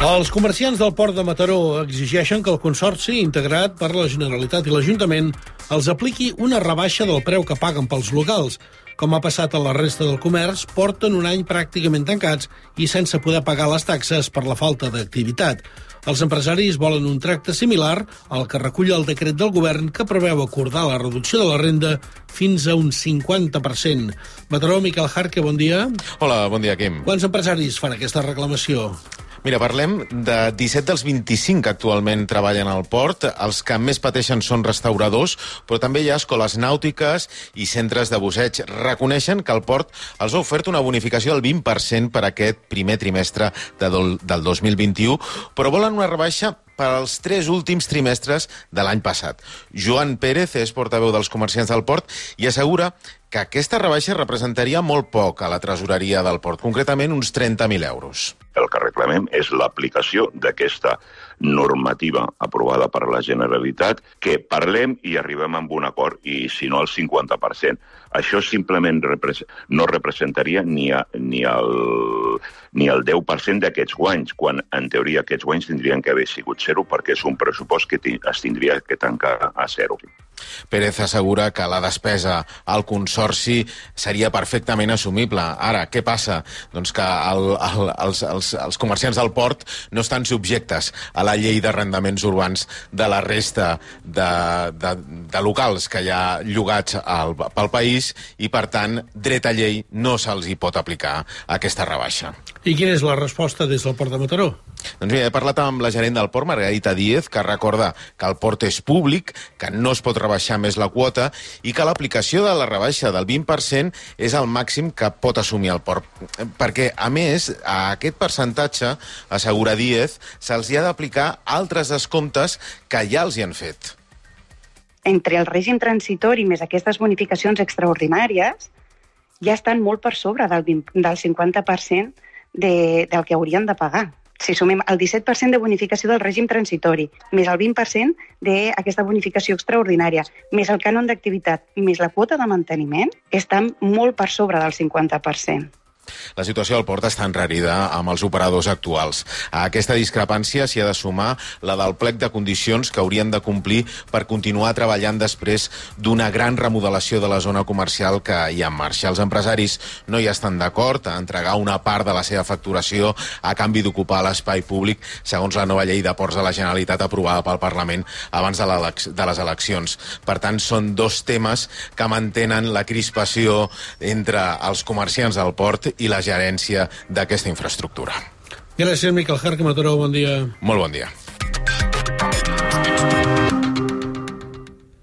Els comerciants del port de Mataró exigeixen que el Consorci, integrat per la Generalitat i l'Ajuntament, els apliqui una rebaixa del preu que paguen pels locals. Com ha passat a la resta del comerç, porten un any pràcticament tancats i sense poder pagar les taxes per la falta d'activitat. Els empresaris volen un tracte similar al que recull el decret del govern que preveu acordar la reducció de la renda fins a un 50%. Mataró, Miquel Jarque, bon dia. Hola, bon dia, Quim. Quants empresaris fan aquesta reclamació? Mira, parlem de 17 dels 25 que actualment treballen al port. Els que més pateixen són restauradors, però també hi ha escoles nàutiques i centres de busseig. Reconeixen que el port els ha ofert una bonificació del 20% per aquest primer trimestre del 2021, però volen una rebaixa per als 3 últims trimestres de l'any passat. Joan Pérez és portaveu dels comerciants del port i assegura que aquesta rebaixa representaria molt poc a la tresoreria del port, concretament uns 30.000 euros. El que reclamem és l'aplicació d'aquesta normativa aprovada per la Generalitat, que parlem i arribem a un acord, i si no el 50%. Això simplement no representaria ni el 10% d'aquests guanys, quan en teoria aquests guanys tindrien que haver sigut zero, perquè és un pressupost que es tindria que tancar a zero. Pérez assegura que la despesa al Consorci seria perfectament assumible. Ara, què passa? Doncs que els comerciants del port no estan subjectes a la llei d'arrendaments urbans de la resta de locals que hi ha llogats pel país i, per tant, dret a llei no se'ls hi pot aplicar aquesta rebaixa. I quina és la resposta des del port de Mataró? Doncs mira, he parlat amb la gerent del port, Margarita Díez, que recorda que el port és públic, que no es pot rebaixar més la quota i que l'aplicació de la rebaixa del 20% és el màxim que pot assumir el port. Perquè, a més, a aquest percentatge, assegura Díez, se'ls hi ha d'aplicar altres descomptes que ja els hi han fet. Entre el règim transitori més aquestes bonificacions extraordinàries ja estan molt per sobre del 50% del que haurien de pagar. Si sumem el 17% de bonificació del règim transitori, més el 20% d'aquesta bonificació extraordinària, més el cànon d'activitat, més la quota de manteniment, estan molt per sobre del 50%. La situació del port està enrarida amb els operadors actuals. A aquesta discrepància s'hi ha de sumar la del plec de condicions que haurien de complir per continuar treballant després d'una gran remodelació de la zona comercial que hi ha en marxa. Els empresaris no hi estan d'acord a entregar una part de la seva facturació a canvi d'ocupar l'espai públic, segons la nova llei de ports de la Generalitat aprovada pel Parlament abans de les eleccions. Per tant, són dos temes que mantenen la crispació entre els comerciants del port i la gerència d'aquesta infraestructura. Gràcies, Miquel Jarque. Mataró, bon dia. Molt bon dia.